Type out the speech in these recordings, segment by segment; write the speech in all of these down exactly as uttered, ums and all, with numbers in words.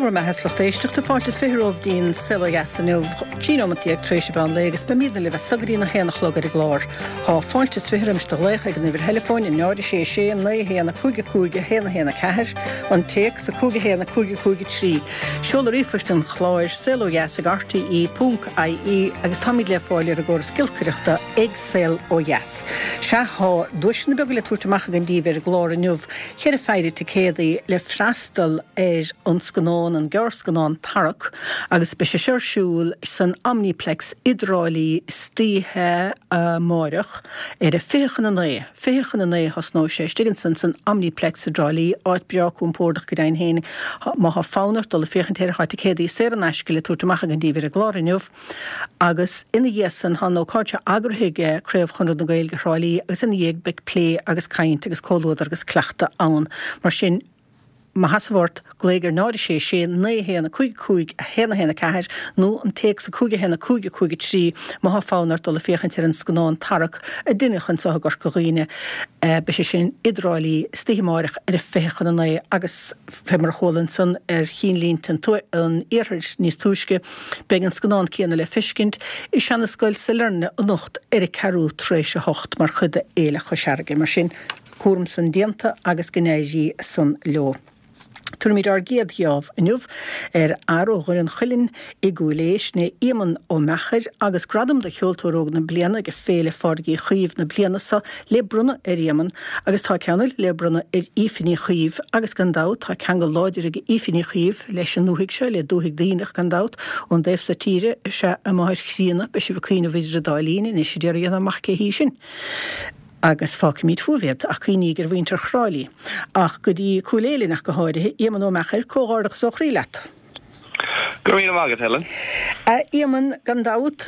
Go raibh maith agat, lucht éisteachta. Fáilte is fiche romhaibh dtí'n Saol Ó Dheas inniu, trí nóimeat déag tar éis an mheán lae agus beimidne libh as so go dtí'n a haon a chlog ar an gclár. Tá fáilte is fiche roimis do ghlaoch ag an uimhir theileafóin, a náid a sé sé naoi a haon a cúig a cúig a haon a haon a ceathair, an téacs, a cúig a haon a cúig a cúig a trí. Seoladh ríomhphoist an chláir, saol ó dheas ag R T E ponc I E agus táimid le fáil ar an gcóras giolcaireachta ag Saol Ó Dheas. Sea, tá duaiseanna beaga le tabhairt amach againn daoibh ar an gclár inniu, ceithre phéire ticéadaí le freastal ar an scannán, an gearrscannán Tarrac, agus beidh sé seo ar siúl san Omniplex i dTrá Lí istoíche amáireach ar a fiche chun a naoi, fiche chun a naoi a thosnóidh sé, istigh ansan san Omniplex i dTrá Lí, áit breá compordach go deimhin féin. Má thá fonn ort dul ag féachaint air, thá ticéadaí saor in aisce le tabhairt amach againn daoibh ar an gclár inniu. Agus ina dhiaidh san, thá an ócáid seo eagraithe ag Craobh Chonradh na Gaeilge Thrá Lí agus ina dhiaidh beidh plé agus caint agus comhluadar agus cleachtadh ann. Mar sin, má sheasamh ort, glaoigh ar náid a sé sé naoi a haon a cúig a cúig a haon a haon a ceathair nó an téacs a cúig a haon a cúig a cúig a trí má thá fonn ort dul ag féachaint ar an scannán Tarrac a deineadh anseo i gCorca Dhuibhne. Beidh sé sin i dTrá Lí istoíche amáireach ar a fiche chun a naoi agus fé mar a chuala ansan ar chinnlínte an iarthair níos túisce, beidh an scannán céanna le feiscint i Seana-Scoil Sailearna anocht ar a ceathrú tar éis a hocht mar chuid de Fhéile Chois Fharraige. Mar sin, cúram san déanta agus go n-éirí san leo. Tabharfaimid ár gcéad gheábh inniu ar fhear ó Dhoire an Chuilinn i gCúil Aodha, sin é Éamonn Ó Meachair, agus gradam do Cheoltóir Óg na Bliana ag Féile Phádraig Uí Chaoimh na bliana seo le bronnadh ar Éamonn agus tá ceann eile le bronnadh ar Aoife Ní Chaoimh agus gan dabht tá ceangal láidir ag Aoife Ní Chaoimh leis an ndúthaigh seo, le dúthaigh Duibhneach gan dabht, ón dtaobh so tíre is ea a máthair chríonna. Beidh sibh ag cuimhneamh idir an dá linn anois a d'iarraidh a dhéanamh amach cé hí sin. Agus fágfaimid fúibh iad, ach cuimhníg ar mhuintir Thrá Lí. Ach go dtí Cúil Aodha linn ach go háirithe, Éamonn Ó Meachair, comhghairdeachas ó chroí leat. Go raibh míle maith agat, Helen. A Éamonn, gan dabht,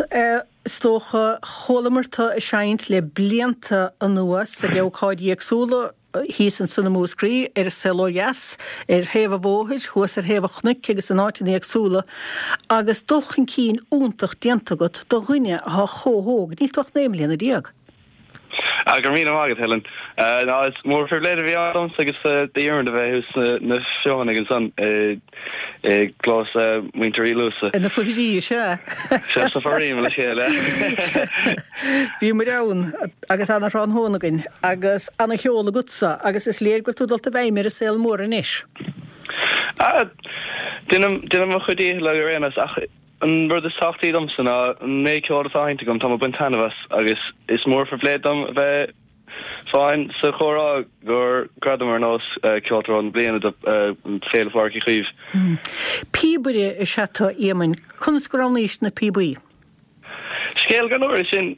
is dócha, chualamar tú ag seinnt le blianta anuas ag ócáidí éagsúla, thíos ansan i Múscraí, ar an Saol Ó Dheas, ar thaobh an bhóthair, thuas ar thaobh an chnoic agus in áiteanna éagsúla, agus dul chun cinn iontach déanta agat do dhuine atá chomh hóg, níl tú ach naoi mbliana déag. Ah, go raibh míle maith agat, Helen. Ná, is mór phribhléid a bhí ann domsa agus d'Iarmaid a bheith thuas na Feothanaigh ansan i gclós muintir Uí Luasa. Ina foithrí, is ea. Sea, sa Foraoim le chéile. Bhíomar ann agus ana-thráthnóna againn agus ana-cheol agatsa agus is léir go bhfuil tú dulta i bhfeidhm ar an saol mór anois. Ah, déanaim déanaim mo chuid díchill ar aon nós ach an rud is tábhachtaí domsa ná an méid ceoil atá sheinnte agam, tá mé ag baint taitneamh as agus is mór phribhléid dom a bheith féin sa chomhrá gur gradam ar nós Ceoltóir Óg na Bliana do Féile Phádraig Uí Chaoimh. Píobaire is ea tú, a Éamoinn. Conas go roghnaís na píobaí? Scéal gan uair é sin.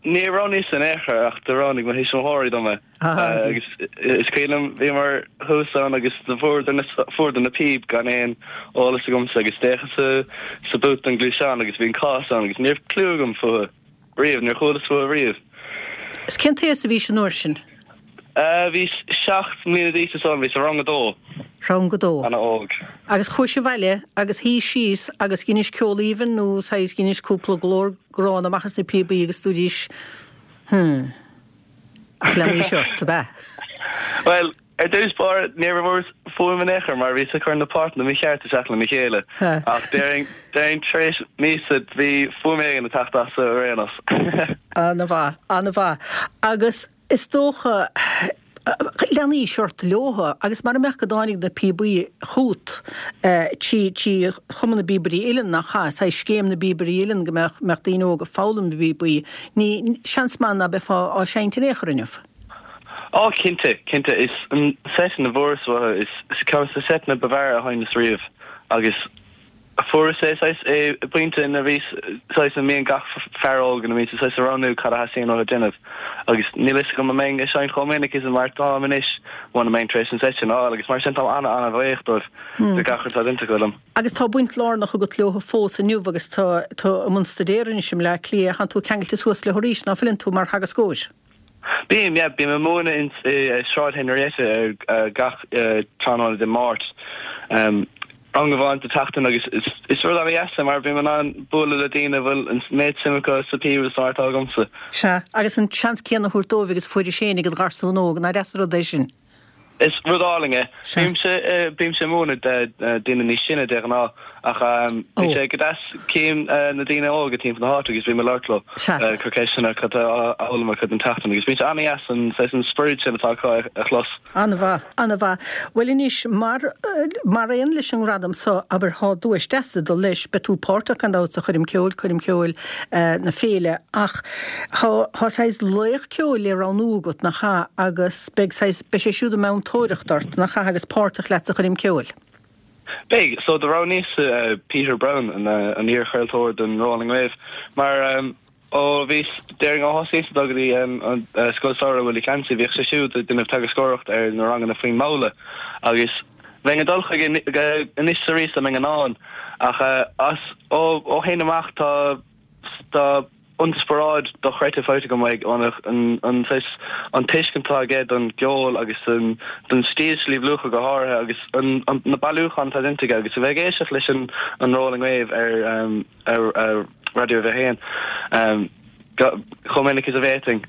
Níor roghnaíos in aon chor ach do roghnaigh mo thuismitheoirí dom é. Agus is cuimhin liom, bhíomar thuas ann agus do fuaireadar na píob gan aon eolas agamsa agus d'fhéachas sa boot den gluaisteán agus bhí an cás ann agus ní raibh cliú agam fúthu riamh, níor chualas fúthu riamh. Is cén t-aois a bhís an uair sin? Bhíos seacht mbliana d'aois is dóigh liom, bhíos i rang a dó. Rang a dó. Ana óg. Agus chuais abhaile agus shuís síos agus dheinis ceol aoibhinn nó saghas dheinis cúpla glór gránna amach as na píobaí agus dúraís Hmm. Ach leanaís ort, ab ea? Bhuel, ar dtús báire, ní raibh fuaim in aon chor mar bhíos ag cur na páirteanna mícheart isteach lena chéile. Ach déarfainn, déarfainn tar éis míosa bhí fuaim éigin ag teacht as ar aon nós. Ana-mhaith, ana-mhaith. Agus is dócha, leanaís ort leotha agus mara mbeadh go dtáinig na píobaí chút trí, trí Chumann na bPíobairí Uilleann, nach ea, saghas scéim na bpíobairí uilleann go mbeadh, mbeadh daoine óga ag foghlaim na bpíobaí, ní, seans maith ná beifeá á seinnt in aon chor inniu. Á, cinnte, cinnte. Is an seisean a bhfuaireas uathu, is, is ceann de na seiteanna ba bhfearr a sheinneas riamh agus fuaireas é saghas i bpointe ina bhíos saghas a mbíonn gach fear óg ina mbíonn siad saghas ag roghnú cad a theastaíonn uathu déanamh agus níl fhios agam an mbeinn ag seinnt chomh minic is mar atáim anois muna mbeinn tar éis an seit sin a fháil agus mar sin táim ana-ana-bhuíoch dóibh do gach rud atá déanta acu liom. Agus tá baint lárnach agat leo fós inniu agus tú i mbun staidéir anois i mBleá Cliath, tánn tú ceangailte suas leo arís, ná fuileann tú mar theagascóir? Bím, yeah, bím ag múineadh i Sráid Henrietta ar gach tráthnóna Dé Máirt, rang amháin sa tseachtain agus is rud an-dheas é mar bím in ann bualadh le daoine a bhfuil an méid suim acu sa phíob is mar atá agamsa. Sea, agus an seans céanna a thabhairt dóibh agus a fuairis féin ag id gharsún óg, nach deas an rud é sin? Is rud álainn é. Bímse bímse ag múineadh daoine níos sine de ghnáth ach bhí sé go deas cím na daoine óga timpeall na háite agus bím ag labhairt leo, cur ceisteanna cad tá á fhoghlaim acu don tseachtain agus bíonn sé an-deas an saghas an spiorad sin atá acu a chlos. An-mhaith, an-mhaith. Bhuel anois, mar mar aon leis an ngradam so, abair, thá duais deas ag dul leis, beidh tú páirteach gan dabht sa choirm ceoil, coirm cheoil na féile, ach thá thá saghas laoch ceoil le roghnú agat, nach ea, agus beidh saghas, beidh sé siúd i meantóireacht ort, nach ea, agus páirteach leat sa choirm ceoil. Beidh. So do roghnaíos Peter Browne, an iar-chraoltóir don Rolling Wave, mar ó bhíos, déarfainn ó thosaíos ag dul go dtí an Scoil Samhraidh Willie Clancy, bhíodh sé siúd ag déanamh teagascóireacht ar na ranganna faoin mbabhla agus bheinn ag dul chuige anois is arís dá mbeinn in ann ach as ó shin amach tá tá inspioráid dochreidte faighte agam uaidh, an saghas, an tuiscint atá aige don gceol agus don don stíl Sliabh Luachra go háirithe agus an na bailiúcháin atá déanta aige agus a bheith ag éisteacht leis an an Rolling Wave ar ar Raidió a haon chomh minic is a bhféadfainn.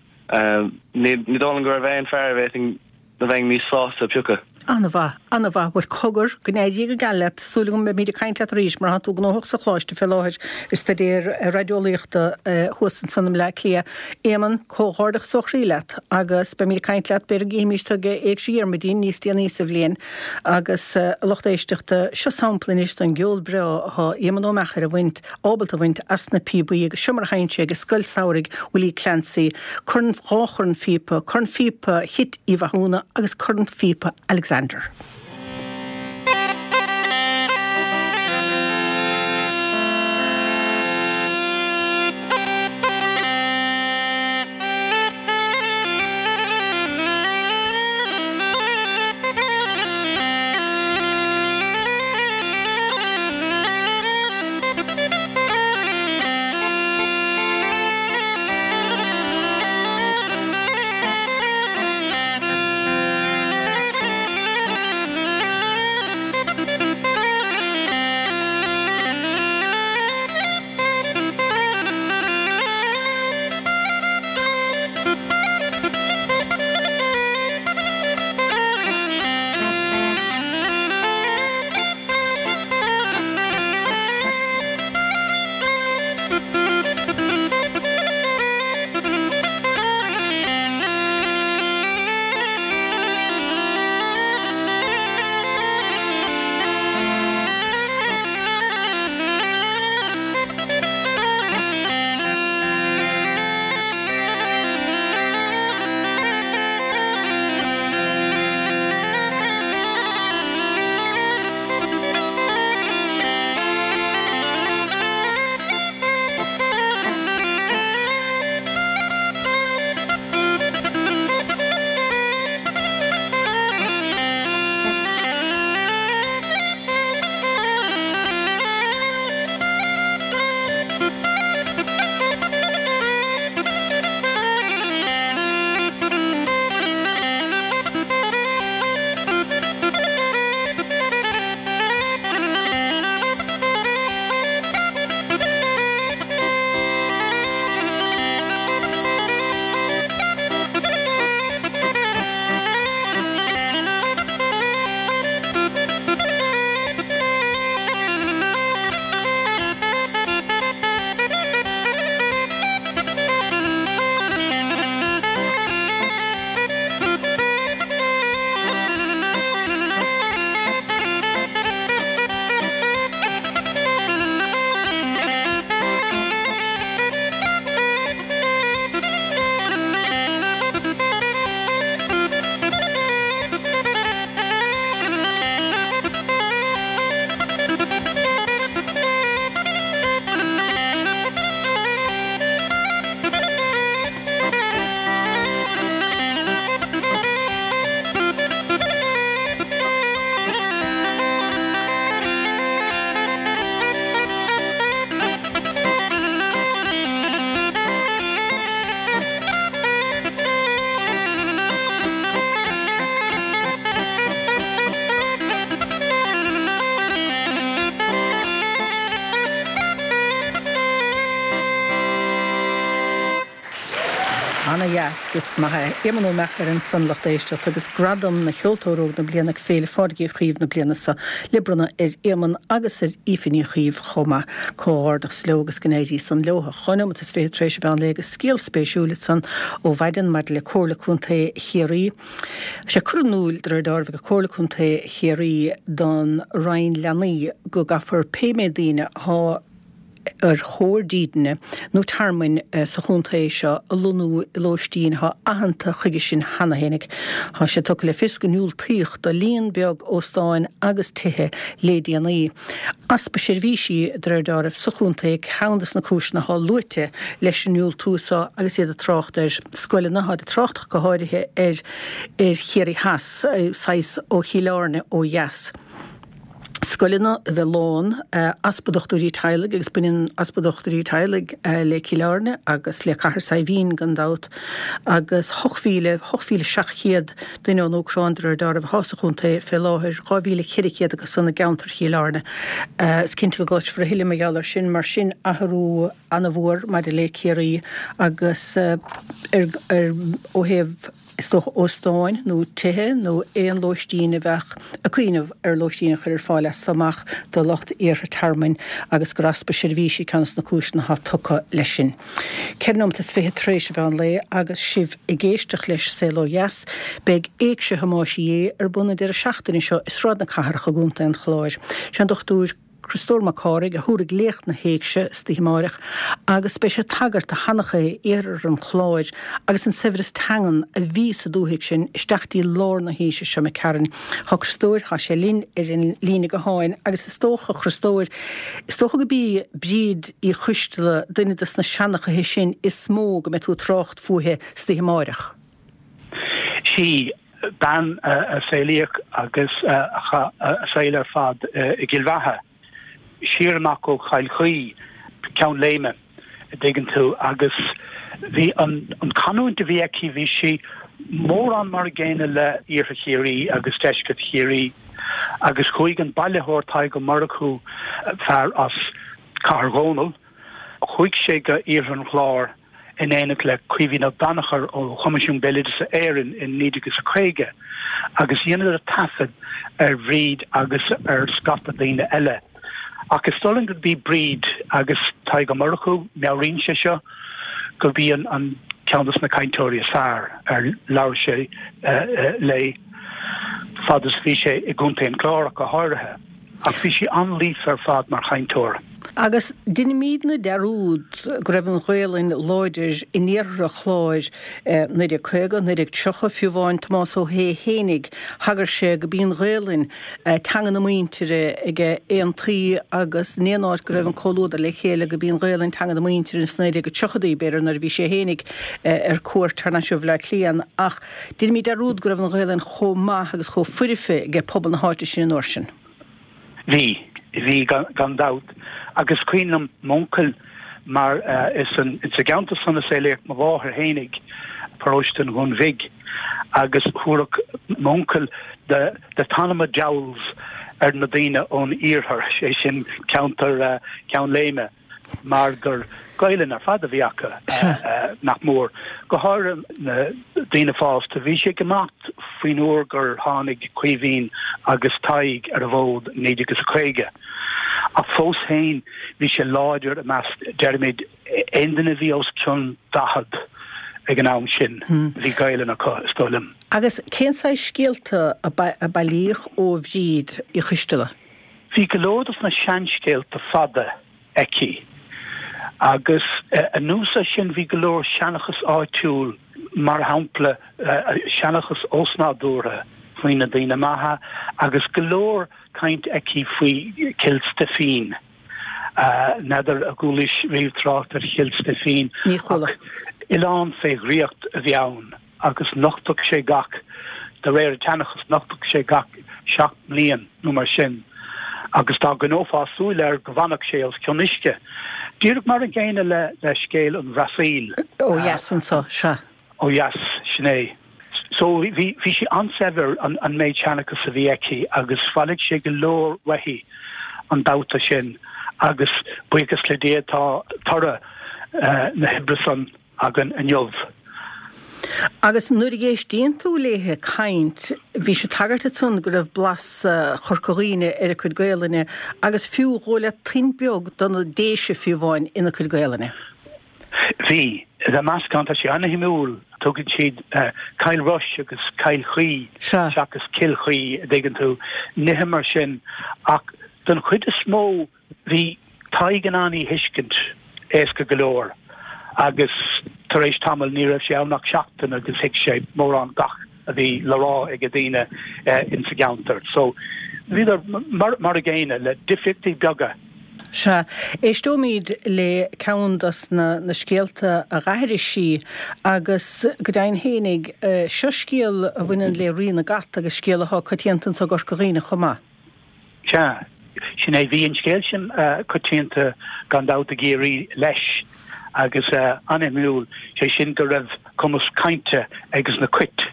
Ní dóigh liom go raibh aon fear a bhféadfainn a bheinn níos sásta a phiocadh. An-mhaith, an-mhaith. Bhuel, cogar, go n-éirí go geal leat. Súil agam beimid ag caint leat arís mar tá tú gnóthach sa choláiste fé láthair ag staidéar raideolaíochta thuas ansan i mBleá Cliath. Éamonn, comhghairdeachas ó chroí leat agus beimid ag caint leat, b'fhéidir go gcífimís tú ag Éigse Dhiarmuidín níos déanaí sa bhliain. Agus a lucht éisteachta, seo sampla anois den gceol breá atá Éamonn Ó Meachair a bhaint, ábalta a bhaint as na píobaí agus seo mar a sheinn sé ag Scoil Samhraidh Willie Clancy, corn, dhá chorn phíopa, corn phíopa Chit Uí Mhathúna agus corn phíopa Alexander. dheas, is maith é. Éamonn Ó Meachair ansan, lucht éisteachta, agus Gradam na Cheoltóir Óg na Bliana ag Féile Phádraig Uí Chaoimh na bliana seo le bronnadh ar Éamonn agus ar Aoife Ní Chaoimh chomh maith. Comhghairdeachas leo agus go n-éirí san leo. Dhá nóimeat is fiche tar éis an mheán lae agus scéal spéisiúil ansan ó mhaidin maidir le Comhairle Contae Chiarraí. Sé curtha in iúl de réir dealraimh ag Comhairle Contae Chiarraí don Roinn Leanaí go gcaithfear pé méid daoine atá ar thóir dídine nó tearmainn sa chontae seo a lonnú i lóistín atá aitheanta chuige sin cheana fhéinig. Tá sé tugtha le fios go ndiúltaíodh do líon beag óstáin agus tithe le déanaí. Easpa seirbhísí, de réir dealraimh, sa chontae ceann de na cúiseanna atá luaite leis an ndiúltú seo agus iad ag trácht ar scoileanna, táid ag trácht ach go háirithe ar ar Chiarraí Theas, saghas ó Chill Airne ó dheas. Scoileanna a bheith lán, easpa dochtúirí teaghlaigh agus baineann easpa dochtúirí teaghlaigh le Cill Airne agus le Cathair Saidhbhín gan dabht, agus ocht mhíle, ocht mhíle seacht chéad duine ón Úcráin de réir dealraimh atá sa chontae fé láthair, dhá mhíle ceithre chéad acu san i gceantar Chill Airne. Is cinnte go gcloisfear a thuilleadh mar gheall air sin, mar sin athrú ana-mhór maidir le Ciarraí agus ar, ar, ó thaobh. is dócha, óstáin nó tithe nó aon lóistín a bheadh ag cuimhneamh ar lóistín a chur ar fáil as so amach do lucht iarrtha tearmainn agus gur easpa seirbhísí ceann de na cúiseanna atá tugtha leis sin. Ceithre nóimeat is fiche tar éis an mheán lae agus sibh ag éisteacht leis Saol Ó Dheas, beidh Éigse Thomáis Uí Aodha ar bun an deireadh seachtaine seo i Sráid na Cathrach i gContae an Chláir. Sé an Dochtúir. Criostóir Mac Cárthaigh a thabharfaidh léacht na hÉigse istoíche amáireach agus beidh sé ag tagairt do sheanchaithe iarthar an Chláir agus an saibhreas teangan a bhí sa dúthaigh sin isteach dtí lár na haoise seo imigh tharainn. Tá Criostóir, tá sé linn ar an líne gutháin agus is dócha, a Chriostóir, is dócha go b'í Bríd Uí Choisteala duine des na seanchaithe sin is mó go mbeidh tú ag trácht fúithi istoíche amáireach. Sí bean a saolaíodh agus a chaith a saol ar fad i gCill Bheatha, siar amach ó Chill Chaoi, Ceann Léime, a dtuigeann tú, agus bhí an chanúint a bhí aici, bhí sí mórán mar a gcéanna le Iarthar Chiarraí agus Deisceart Chiarraí agus chuaigh an bailitheoir Tadhg Ó Murchú, fear as Cathair Dhónaill, chuaigh sé go Iarthar an Chláir in éineacht le Caoimhín Ó Danachair ó Choimisiún Béaloideasa Éireann in naoi déag is a caoga agus dheineadar taifead ar Bhríd agus ar scata daoine eile. Ach is dóigh liom gurb í Bríd agus Tadhg Ó Murchú, meabhraíonn sé seo, gurb í an ceann dos na cainteoirí is fearr ar labhair sé léi fad is a bhí sé i gContae an Chláir ach go háirithe. Ach bhí sí an-líofa ar fad mar chainteoir. Agus deinimídne dearúd go raibh an Ghaelainn láidir in iarthar an Chláir naoi déag caoga, naoi déag tríocha, fiú amháin Tomás Ó hAodha fhéinig, thagair sé go b'í an Ghaelainn teanga na muintire ag aontaí agus in aon áit go raibh an comhluadar le chéile go b'í an Ghaelainn teanga na muintire ins naoi déag tríochaidí, b'fhéidir nuair a bhí sé fhéinig ar cuairt thar n-ais ó Bhaile Átha Cliath. Ach deinimíd dearúd go raibh an Ghaelainn chomh maith agus chomh foirfe ag pobal na háite sin an uair sin. Bhí, bhí gan dabht. Agus is cuimhin liom m'uncail mar is insa gceantar san a saolaíodh mo mháthair fhéinig, paróiste an Dhúin Bhig, agus thabharfadh m'uncail the the Tonaghmore Dowls ar na daoine ón iarthar, sé sin ceantar Cheann Léime. mar gur Gaelainn ar fad a bhí acu, nach mór, go háirithe na daoine fásta. Bhí sé ag imeacht faoin uair gur tháinig Caoimhín agus Tadhg ar an bhfód i naoi déag is a caoga, ach fós féin bhí sé láidir i measc, deirimid, aon duine a bhí os cionn daichead ag an am sin, bhí Gaelainn acu, is dóigh liom. Agus cén saghas scéalta a bailíodh ó Bhríd Uí Choisteala? Bhí go leor dos na seanscéalta fada aici. Agus anuas air sin bhí go leor seanchas áitiúil, mar shampla seanchas osnádúrtha faoi na daoine maithe agus go leor caint aici faoi Chill Stifín. N'fheadar ar chualaís riamh trácht ar Chill Stifín ach oileán fé dhraíocht a bhí ann. agus nochtadh sé gach, de réir an tseanchais, nochtadh sé gach seacht mbliain nó mar sin, agus dá gcoinneofá súil air go bhfanfadh sé os cionn uisce. Díreach mar an gcéanna le le scéal an Bhrasaíl. Ó dheas anso, sea. Ó dheas, sin é. So bhí bhí sí an-saibhir an an méid seanchas a bhí aici agus bhailigh sé go leor uaithi an babhta sin agus buíochas le Dia tá toradh na hoibre san againn inniu. Agus nuair a éistíonn tú léithe ag caint, bhí sí ag tagairt ansan go raibh blas Chorca Dhuibhne ar a cuid Gaelainne agus fiú dhóigh leat toint beag do na Déise fiú amháin ina cuid Gaelainne. Bhí. Tá meascán, tá sé an-shuimiúil, tugann siad Cill Rois agus Cill Chaoi seachas Cill Chaoi, a dtuigeann tú, nithe mar sin. Ach don chuid is mó bhí Tadhg in ann í a thuiscint éasca go leor agus tar éis tamaill, ní raibh sé ann ach seachtain agus thuig sé mórán gach a bhí le rá ag daoine insa gceantar. So bhíodar mar mar a gcéanna le difríochtaí beaga. Sea, éisteoimid le ceann dos na na scéalta a dh'aithris sí agus go deimhin fhéinig, seo scéal a bhaineann le Rí na gCat agus scéal athá coitianta anso i gCorca Dhuibhne chomh maith. Sea, sin é. Bhí an scéal sin coitianta gan dabht i gCiarraí leis agus an-shuimiúil, sé sin go raibh cumas cainte ages na cait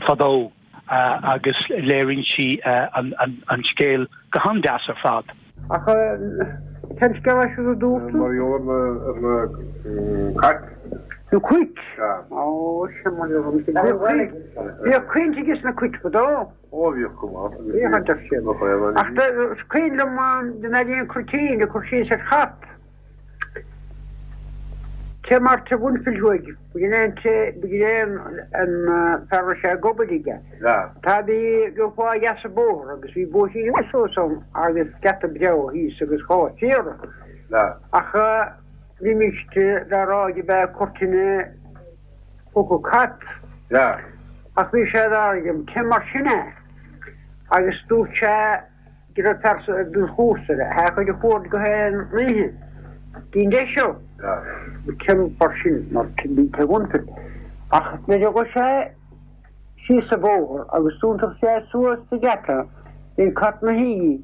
fadó agus léiríonn sí an scéal go han-deas ar fad. Ach cén scéal é siúd a dúirt tú? Mar gheall ar na cait. Na cait? Ó, sin mar gheall ar na cait. Bhíodh caint ages na cait fadó. Ó, bhíodh go maith. Bhíodh a deir siad. Ach is cuimhin liom den Neidín Cruitín ag cur síos ar chat. Cé mar te bhainfil thuaidh, b'in é an té, b'in é an fear a raibh sé ag obair aige. Tá bhí gheofá a dheas an bóthar agus bhí bóithrín suas ann agus geata breá thíos agus dhá phiara. Ach bhímis dá rá go mbeadh cuirteanna phóca cat. Ach bhí sé dá rá cé mar sin é agus dúirt sé go raibh fear den chúrsa le haghaidh a chuaird go haon oíche dtí'n deis seo. Cé mar sin mar bhí te bhainfil. Ach nuair a ghabh sé síos an bóthar agus d'iontaigh sé suas sa gheata bhí an cat 'na shuí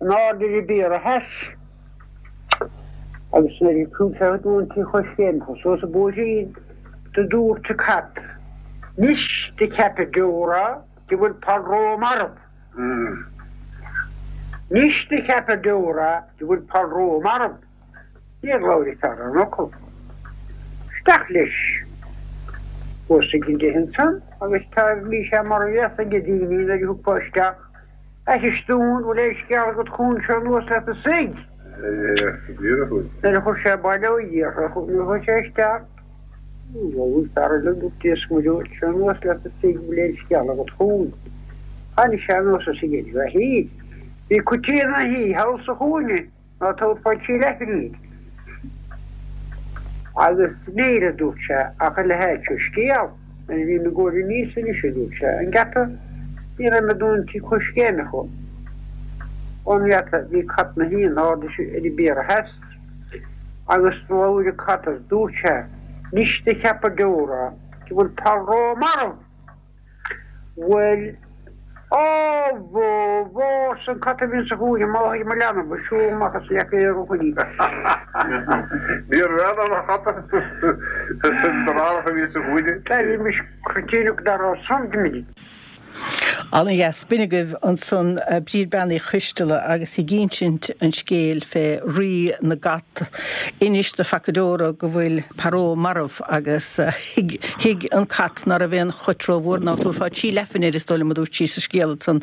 in airde ar an bpiara theas. Agus nuair a chuaigh sé chuig an tí choiscéimneach suas an bóithrín do dúirt an cat, 'Nois do cheapadh deora go bhfuil Parró marbh. Nois do cheapadh deora go bhfuil Parró marbh. Níor labhair an fear aon fhocal. Isteach leis. Thuas ag an dtigh ansan agus tá bhí sé mar bhéas ag daoine nuair a thiocfá isteach. Aithris dúinn, bhfuil aon scéal agat chugainn seo anuas leat a suigh. Nuair a chuir sé baile ó Dhia, nuair a chuaigh sé isteach, Bhuel, fear eile dúirt Dia 's Muire dhuit, seo anuas leat a suigh, bhfuil aon scéal agat chugainn. Tháinig sé anuas is ag iarraidh a shuí. Bhí cuitín ina shuí thall sa chúinne ná tabharfá trí leathphingin air. Agus níl, a dúirt sé, ach a leithéid seo scéal. Nuair a bhí mé ag gabháil aníos anois, a dúirt sé, an geata, ní raibh mé ag dul an tí coiscéimeach ón ngeata, bhí cat 'na shuí in airde ar an bpiara theas. Agus do labhair an cat agus dúirt sé, 'Nois do cheapadh deora go bhfuil Parró marbh! Bhuel, á bhó, bhó, arsa an cat a bhí insa chúinne, máthair mo leanbh, siúl amach as leac aer ó shoin í. Níorbh fhearr an cat an deartháir a bhí sa chúinne. Bhí cruitíneach dá raibh san d'imigh. Ana-dheas. B'in agaibh ansan Bríd Bean Uí Choisteala agus í ag insint an scéil fé Rí na gCat. Inis do phaca deora go bhfuil Paró marbh agus thuig thuig an cat ná raibh aon chut rómhór ná tabharfá trí leathphingin air is dóigh liom a dúirt sí sa scéal ansan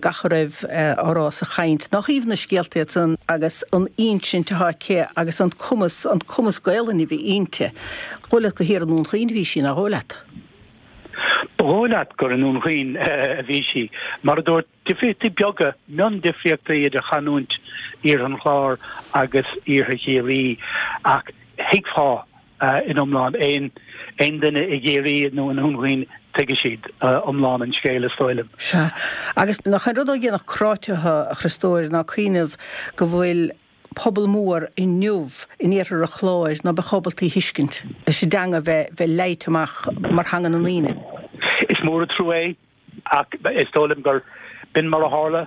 gach a raibh á rá sa chaint. Nach aoibhinn na scéalta iad san agus an insint atá aici agus an cumas an cumas Gaelainne a bhí inti. Dhóigh leat gur thiar i nDún Chaoin a bhí sí, nach dhóigh leat? Ba dhóigh leat gur i nDún Chaoin a bhí sí. Mar a dúirt, difríochtaí beaga, miondifríochtaí idir chanúint Iarthar an Chláir agus Iarthar Chiarraí ach thuigfeá in iomlán, aon duine i gCiarraí nó i nDún Chaoin, tuigfidh siad iomlán an scéil, is dóigh liom. Sea. Agus nach é an rud a dhéanfadh cráite thú, a Chriostóir, ná cuimhneamh go bhfuil pobal mór inniu in iarthar an Chláir ná beadh ábalta í a thuiscint, leis an dteanga bheith bheith leighte amach mar theanga na ndaoine. Is mór an trua é, ach is dóigh liom gur b'in mar a tharla.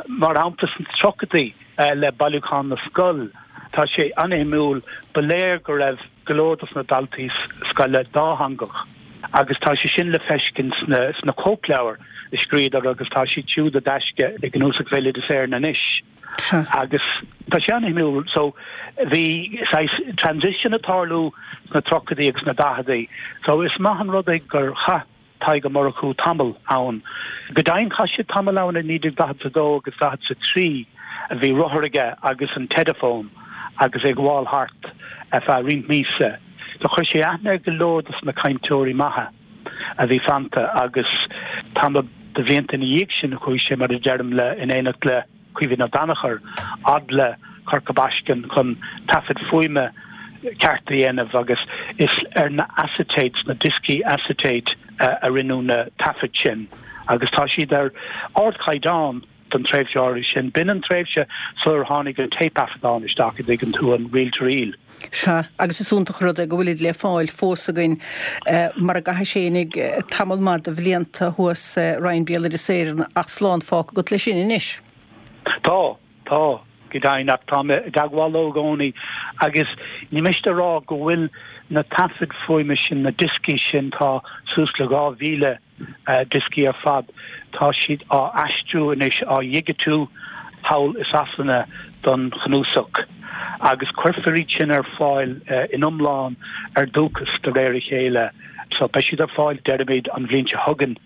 Mar shampla sna tríochaidí le Bailiúchán na Scol, tá sé an-shuimiúil, ba léir go raibh go leor dos na daltaí scoile dátheangach agus tá sé sin le feiscint sna cóipleabhair a scríodar agus tá siad siúd i dtaisce i gCnuasach Bhéaloideas Éireann anois. Agus tá sé an-shuimiúil so bhí saghas transition ag tarlú sna tríochaidí agus na daicheadaí. So is maith an rud é gur chaith Tadhg Ó Murchú tamall ann. Go deimhin chaith sé tamall ann i naoi déag daichead a dó agus daichead a trí a bhí rothar aige agus an Teideafón agus é ag gabháil thart ar feadh roinnt míosa. Do chuir sé aithne ar go leor dos na cainteoirí maithe a bhí fanta agus tamall de bhlianta ina dhiaidh sin chuaigh sé mar a deirim le in éineacht le Caoimhín Ó Danachair fhad le Corca Baiscinn chun taifead fuaime ceart a dhéanamh agus is ar na acetates, na dioscaí acetate, a rinneadh na taifid sin agus tá siad ar ardchaighdeán don tréimhse áirithe sin. B'in an tréimhse sular tháinig an téipthaifeadán isteach, a dtuigeann tú, an reel to reel. Sea, agus is iontach an rud é go bhfuilid le fáil fós againn mar a gcaithis fhéinig tamall maith de bhlianta thuas i Roinn Béaloideas Éireann ach slán fágtha agat leis sin anois. Tá, tá, go deimhin, ach tá mé i dteagmháil leo i gcónaí agus ní miste a rá go bhfuil na taifid fuaime sin, na dioscaí sin, tá suas le dhá mhíle dioscaí ar fad, tá siad á aistriú anois, á dhigitiú thall i Sasana don chnuasach agus cuirfear iad sin ar fáil in iomlán ar Dúchas de réir a chéile. So beidh siad ar fáil, deirimid, an bhliain seo chugainn.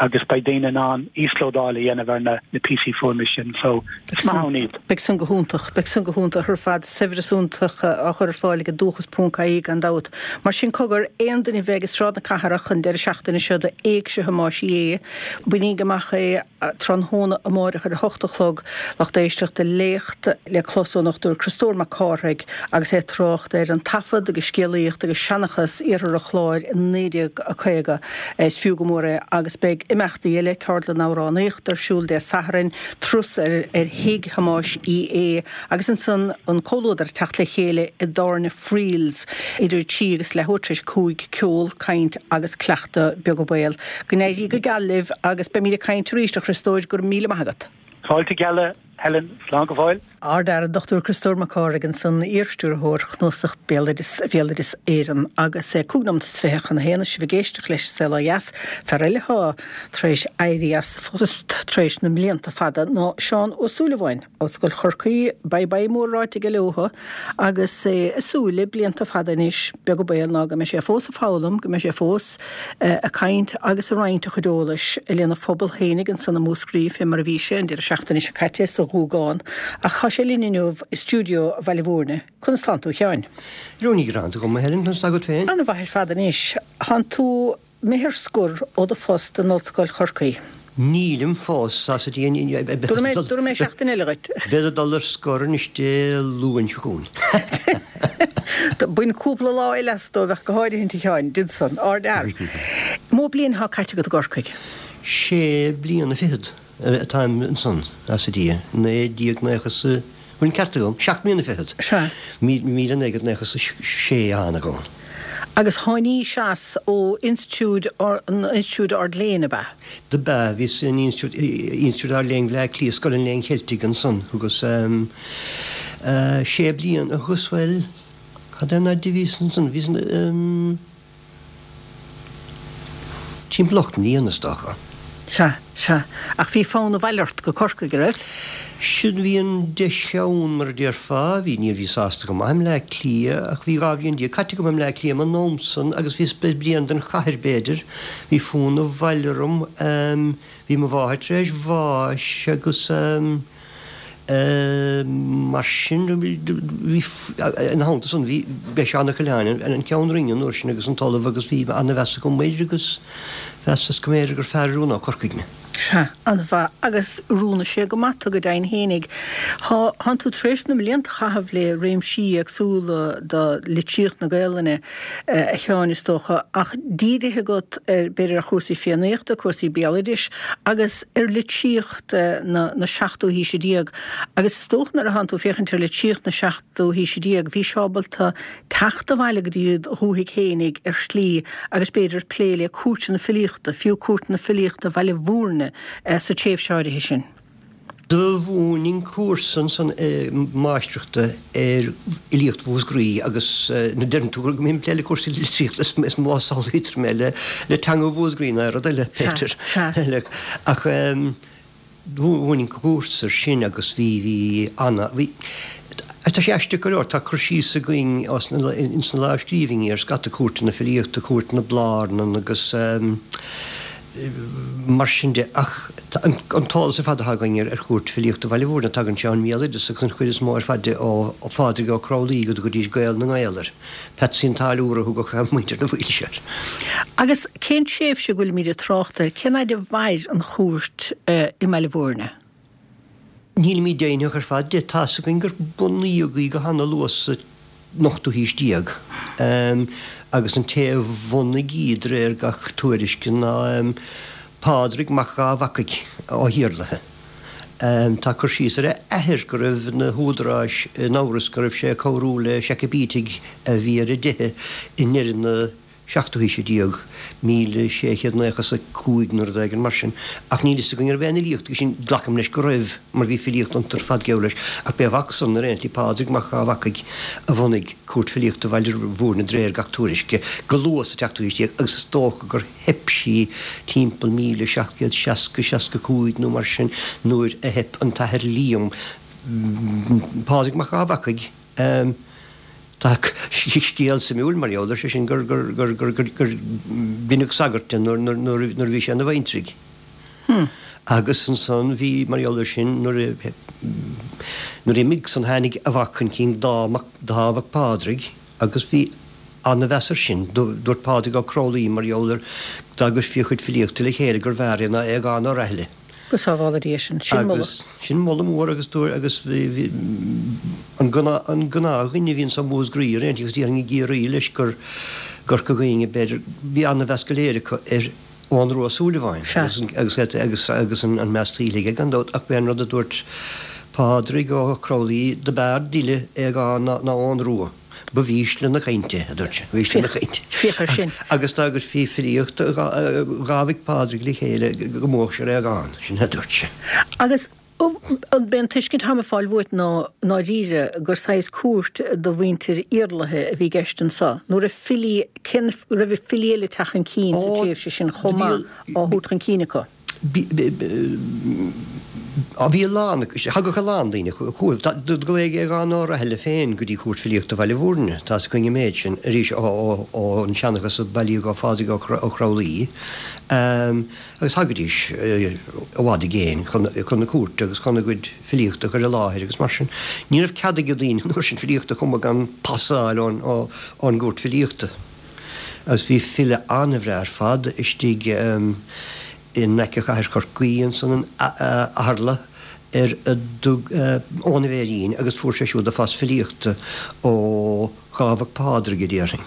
agus beidh daoine in ann íoslódáil a dhéanamh ar na píosaí fuaime sin so is maith ann iad. Beidh san go hiontach, beidh san go hiontach ar fad, saibhreas iontach á chur ar fáil ag Dúchas ponc ie gan dabht. Mar sin cogar, aon duine a bheidh i Sráid na Cathrach an deireadh seachtaine seo do Éigse Thomáis Uí Aodha, bainíg amach é tráthnóna amáireach ar a hocht a chlog, lucht éisteachta léacht le clos ón nDochtúir Criostóir Mac Cárthaigh agus é ag trácht ar an taifead agus scéalaíocht agus seanchas Iarthar an Chláir i naoi déag caoga. Is fiú go mór é agus beidh imeachtaí eile, ceardlann amhránaíochta ar siúl Dé Sathairn, turas ar thigh Thomáis Uí Aodha agus ansan an comhluadar ag teacht le chéile i dtábhairne Friels idir a trí agus leathuair tar éis a cúig, ceol, caint agus cleachtadh beag béil. Go n-éirí go geal libh agus beimid ag caint arís, a Chriostóir, go raibh míle maith agat. Fáilte geal. Helen, slán go fóill. Ard-Fhear an Dochtúir Criostóir Mac Cárthaigh ansan, iar-stiúrthóir Chnuasach Béaloideas Bhéaloideas Éireann agus é cúig nóimeat is fiche chun a haon is sibh ag éisteacht leis an Saol Ó Dheas. Fear eile atá tar éis éirí as a phost tar éis na mblianta fada ná Seán Ó Súilleabháin, Ollscoil Chorcaí, bye bye mór ráite aige leothu agus é ag súil le blianta fada anois, beag an baol ná go mbeidh sé fós ag foghlaim, go mbeidh sé fós ag caint agus ag roinnt a chuid eolais lena phobal fhéinig ansan i Múscraí fé mar a bhí sé an deireadh seachtaine seo caite sa Ghuagán. Ach tá sé linn inniu i stiúideo Bhaile Mhúirne. Conas tánn tú, a Sheáin? Ní gearán agam, a Helen, conas tá agat féin? An-mhaith ar fad anois. Tánn tú imithe ar scor ó do phost in Ollscoil Chorcaí. Nílim fós, tá sa dtí Dúirt mé, dúirt mé seachtain eile dhuit. Bead ag dul ar scor anois Dé Luain seo chugainn. Bain cúpla lá eile as dóibh ach go háirithint, a Sheáin, déan san, ardfhear. Mó bliain atá caite agat i gCorcaigh? Sé bliana fichead atáim ansan, as a Dia, naoi déag naocha 's a, bhfuil an ceart agam? Seacht mbliana fichead. Sea. Míle naoi gcéad naocha 's a sé a thánag ann. Agus tháinís as ó Institiúid, an Institiúid Ard-Léinn, ab ea? Dob ea, bhíos in Institiúid, Institiúid Ard-Léinn Bhaile Átha Cliath, Scoil an Léinn Cheiltigh ansan, thugas sé bliana, thugas, bhuel, cad é an fhaid a bhíos ansan, bhíos in, timpeall ocht mbliana, is dócha. Sea, sea. Ach bhí fonn abhaile ort go Corcaigh, a raibh? Sin, bhí an deis ann, mar a déarfá. Bhí, níor bhíos sásta go maith i mBleá Cliath, ach bhí dhá bhliain déag caite agam i mBleá Cliath ag an am san agus bhíos bréan den chathair, b'fhéidir. Bhí fonn abhaile orm. Bhí mo mháthair tar éis bháis agus. Mar sin, bhí, ina theannta san, bhí, b'é Seán Ó Coileáin an Ceann Roinne an uair sin agus an tOllamh agus bhí ana-mheas agam air agus mheasas go mb'fhéidir gur fearr oiriúnódh Corcaigh mé. Sea, an-mhaith. Agus oiriúnaigh sé go maith tú go deimhin fhéinig. Thá, thánn tú tar éis na mblianta a chaitheamh le réimsí éagsúla de litríocht na Gaelainne, a Sheáin, is dócha, ach dírithe agat ar, b'fhéidir ar chúrsaí Fiannaíochta, cúrsaí béaloidis agus ar litríocht. na na seachtú haoise déag agus is dócha nuair a thánn tú ag féachaint ar litríocht na seachtú haoise déag bhís ábalta teacht abhaile go dtí do dhúthaigh fhéinig ar shlí agus b'fhéidir plé le cúirteanna filíochta, fiú cúirteanna filíochta Bhaile Mhúirne sa tréimhse áirithe sin. Do mhúininn cúrsa ansan máistreachta ar fhilíocht Mhúscraí agus nuair a deireann tú go mbím ag plé le cúrsaí litríochta is mó a samhlaítear mé le teanga Mhúscraí ná rud eile, b'fhéidir. Ach Bhain an cúrsa sin agus bhí, bhí ana, bhí, tá sé aisteach go leor, tá cur síos againn ins na lámhscríbhinní ar scata cúirteanna filíochta, Cúirt na Blarnan agus mar sin de, ach an t-eolas ar fad atá againn ar Chúirt Filíochta Bhaile Bhúirne, tagann sé ón mbéaloideas agus an chuid is mó ar fad de ó Phádraig Ó Cromghlinn go dtugaidís Gael na nGael air. Patsy an Táilliúra a thugadh muintir na Foilse air. Agus cén tréimhse a bhfuilimid ag trácht air? Cén fhaid a mhair an chúirt i mBaile Bhúirne? Nílimid deimhneach ar fad de. Tá's againn gur bunaíodh í go hana-luath sa ochtú haois déag agus an té a bhunaigh í de réir gach tuairisce ná Pádraig Mac Dhá Bhacaigh ó hIarlaithe. Tá cur síos ar a athair go raibh na húdaráis in amhras go raibh sé ag cabhrú le Seacaibítigh a bhí ar a dteitheadh i ndeireadh na seachtú haoise déag, míle sé chéad naocha is a cúig nó rud éigin mar sin. Ach níl fhios againn an raibh aon fhilíocht aige sin, glacaim leis go raibh, mar bhí filíocht iontu ar fad geall leis. Ach b'é a mhac san ar aon tslí, Pádraig Mac Dhá Bhacaigh, a bhunaigh Cúirt Filíochta Bhaile Bhúirne de réir gach tuairisce, go luath sa tseachtú haois déag agus is dócha gur theip sí timpeall míle seacht gcéad seasca, seasca cúig nó mar sin nuair a theip an t-athair Liam, Pádraig Mac Dhá Bhacaigh. Tá scéal suimiúil mar gheall air, sé sin gur gur deineadh sagart de nuair a bhí sé ina bhaintreaigh. Agus ansan bhí, mar gheall air sin, nuair a nuair a imigh san tháinig a mhac chun cinn, Dáth Mac Pádraig, agus bhí ana-mheas air sin. Dúirt Pádraig Ó Cromghlinn mar gheall air dá gcuirfí a chuid filíochta le chéile gurbh fhearr é ná Aogán Ó Raithile. Go sábhála Dia sinn. Sin moladh. Agus sin moladh mór agus dúirt agus bhí an an gnáthdhuine a bhíonns i Músgraí ar aon tslí agus déarfainn i gCiarraí leis gur gCorca Dhuibhne b'fhéidir, bhí an-mheas go léir acu ar Eoghan Rua Ó Súilleabháin agus agus agus agus an an meas tuillte aige gan dabht ach b'é an rud a dúirt Pádraig Ó Cromghlinn do b'fhearr d'fhile Aogán ná ná Eoghan Rua. Ba mhísle na cainte, a dúirt sé, mhísle na cainte. Féach air sin. Agus dá gcuirfí filíocht dhá mhic Phádraig le chéile go mbuafadh sé ar Aogán, sin a dúirt sé. Agus an b'é an tuiscint atáim ag fáil uait ná ndáiríre gur saghas cúirt do mhuintir Iarlaithe a bhí i gceist anso, nó raibh filí, cén, raibh filí eile ag teacht chun cinn sa tréimhse sin chomh maith á thabhairt chun cinn acu? Bhí a lán, thagadh a lán daoine chucu. Do glaodh Aodhán Ó Raithile féin go dtí Cúirt Filíochta Bhaile Bhúirne, tá's againn an méid sin, arís ón seanchas a bailíodh ó Phádraig Ó Cromghlinn, agus thagaidís i bhfad i gcéin chun na cúirte agus chun a gcuid filíochta a chur i láthair agus mar sin. Ní raibh cead ag daoine an uair sin filíocht a chumadh gan pas a fháil ón gCúirt Filíochta. Agus bhí file an-bhreá ar fad istigh in aice chathair Chorcaí ansan in Athardla ar a dtug Eoghan a' Bhéirín agus fuair sé siúd a phas filíochta ó Dhá Mhac Pádraig a déarfainn.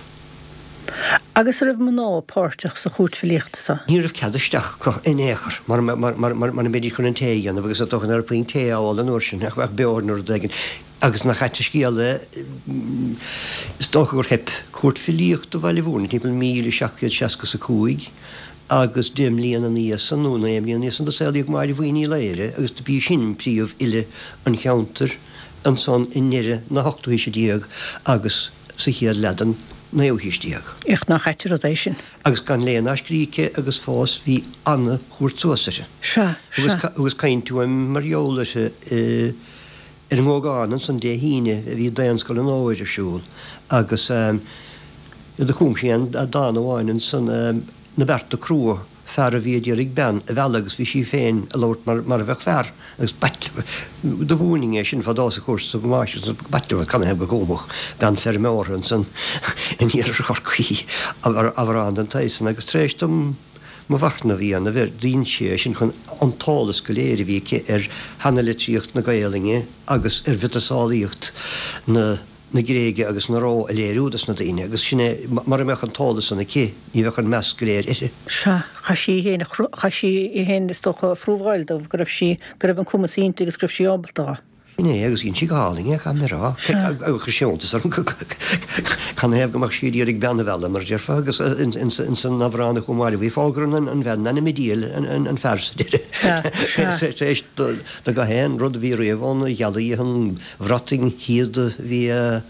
Agus a raibh mná páirteach sa chúirt filíochta so? Ní raibh cead isteach acu in aon chor mara mbeidís chun an tae a dhéanamh agus is dócha nach raibh puinn tae á ól an uair sin ach beoir nó rud éigin. Agus nach ait an scéal é, is dócha gur theip Cúirt Filíochta Bhaile Bhúirne timpeall míle seacht gcéad seasca is a cúig agus deich mbliana ina dhiaidh san, nó naoi mbliana ina dhiaidh san, do saolaíodh Máire Bhuí Ní Laoire agus do b'í sin príomhfhile an cheantair ansan i ndeireadh na hochtú haoise déag agus sa chéad leath den naoú haois déag. Ach nach ait an rud é sin. Agus gan léamh ná scríobh aici agus fós bhí ana-thabhairt suas uirthi. Sea, sea. Thugas caint uaim mar gheall uirthi i. Ar an nGógán ansan Dé hAoine a bhí Daonscoil an Fhómhair ar siúl agus do chum sí aon dán amháin ansan, Na Bearta Crua, fear a bhí a d'iarraidh bean a mhealladh agus bhí sí féin a labhairt mar mar a bheadh fear agus b'ait do mhúininn é sin fadó sa chúrsa go máistir b'ait liom canathaobh go gcumfadh bean feirmeora ansan in iarthar Chorcaí amhrán den tsaghas san agus tar éis dom mo mhachnamh a dhéanamh air, dhein sí é sin chun an t-eolas go léir a bhí aici ar sheanalitríocht na Gaelainne agus ar mhiotaseolaíocht na na Gréige agus na Róimhe a léiriú dos na daoine, agus sin é, mura mbeadh an t-eolas san aici, ní bheadh an meas go léir uirthi. Sea, chaith sí í féin a chaith sí í féin, is dócha, a phrúbháil dóibh go raibh sí, go raibh an cumas inti agus go raibh sí ábalta dó. Sin é, agus dhein sí go hálainn é, caithfidh mé a rá. Agus chuir sé iontas orm canathaobh go mbeadh sí ag iarraidh bean a mhealladh, mar a déarfá, agus ins an amhrán a chum Máire Bhuí, fógrann an bhean in ainm an diabhail an fear sa deireadh. Tar éis do gach aon rud a bhí riamh ann a ghealladh an bhrat shíoda a bhí á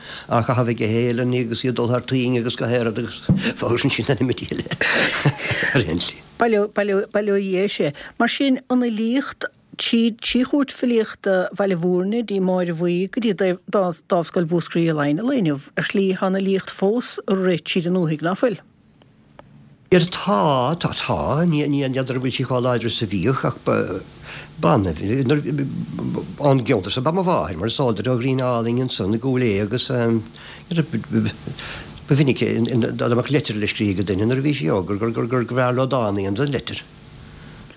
chaitheamh ag Héilean agus í ag dul thar toinn agus gach aon rud agus fógrann sí in ainm an diabhail ar aon tslí. Bail ó Dhia air. Mar sin, an fhilíocht Trí trí Chúirt Filíochta Bhaile Mhúirne, dtí Máire Bhuí, go dtí Dámhscoil Mhúscraí i Laighin an lae inniu, ar shlí tá an fhilíocht fós ag rith tríd an ndúthaigh, ná fuil? Ar tá, tá, tá, ní ní n'fheadar an bhfuil sí chomh láidir is a bhíodh ach ba b'annamh nuair ón gceantar so ba mo mháthair mar is eol duit ó Ghrian Álainn ansan i gCúil Aodha agus ba mhinic dá mbeadh leitir le scríobh ag duine nuair a bhí sí óg gur gur gur gur bhfearr leo dán a dhéanamh den leitir.